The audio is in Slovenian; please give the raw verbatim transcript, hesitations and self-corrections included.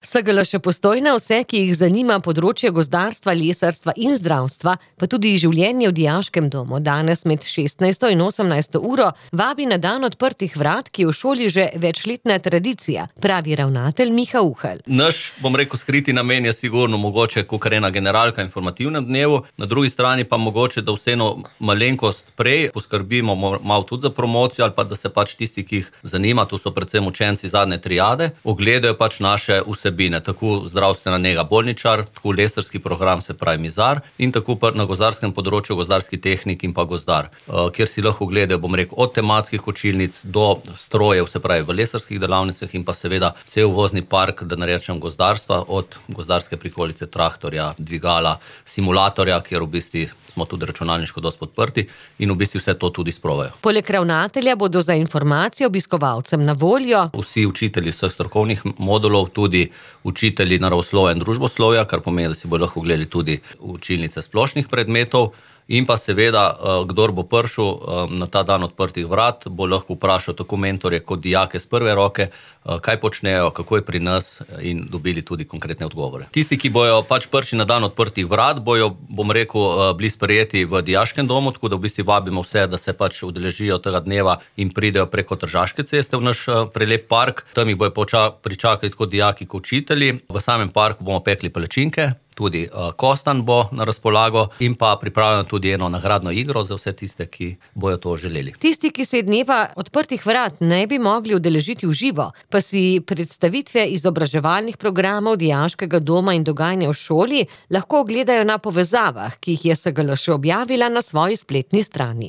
S G L še Postojna vse, ki jih zanima področje gozdarstva, lesarstva in zdravstva, pa tudi življenje v dijaškem domu, danes med šestnajsto in osemnajsto uro vabi na dan odprtih vrat, ki je v šoli že večletna tradicija, pravi ravnatelj Miha Uhelj. Naš, bom rekel, skriti namen je sigurno mogoče kakor ena generalka informativnem dnevu, na drugi strani pa mogoče, da vseeno malenkost prej poskrbimo malo tudi za promocijo ali pa da se pač tisti, ki jih zanima, to so predvsem učenci zadnje triade, ogledajo pač naše vse tako zdravstvena nega bolničar, tako lesarski program, se pravi Mizar, in tako na gozdarskem področju gozdarski tehnik in pa gozdar, kjer si lahko gledajo, bom rekel, od tematskih učilnic do strojev, se pravi v lesarskih delavnicah in pa seveda cel vozni park, da ne rečem gozdarstva, od gozdarske prikolice, traktorja, dvigala, simulatorja, kjer v bistvu smo tudi računalniško dosti podprti in v bistvu vse to tudi sprovajo. Poleg ravnatelja bodo za informacije obiskovalcem na voljo vsi učitelji vseh strokovnih modulov, tudi učitelji naravoslovja in družboslovja, kar pomeni, da si bodo lahko gledali tudi učilnice splošnih predmetov, in pa seveda, kdor bo prišel na ta dan odprtih vrat, bo lahko vprašal tako mentorje kot dijake z prve roke, kaj počnejo, kako je pri nas, in dobili tudi konkretne odgovore. Tisti, ki bojo pač prišli na dan odprtih vrat, bojo, bom rekel, bili sprejeti v dijaškem domu, tako da v bistvu vabimo vse, da se pač udeležijo tega dneva in pridejo preko Tržaške ceste v naš prelep park. Tam jih bojo pričakali tako dijaki kot učitelji. V samem parku bomo pekli palačinke, tudi kostan bo na razpolago in pa pripravljeno tudi eno nagradno igro za vse tiste, ki bojo to želeli. Tisti, ki se dneva odprtih vrat ne bi mogli udeležiti v živo, pa si predstavitve izobraževalnih programov dijaškega doma in dogajanja v šoli lahko ogledajo na povezavah, ki jih je S G L še objavila na svoji spletni strani.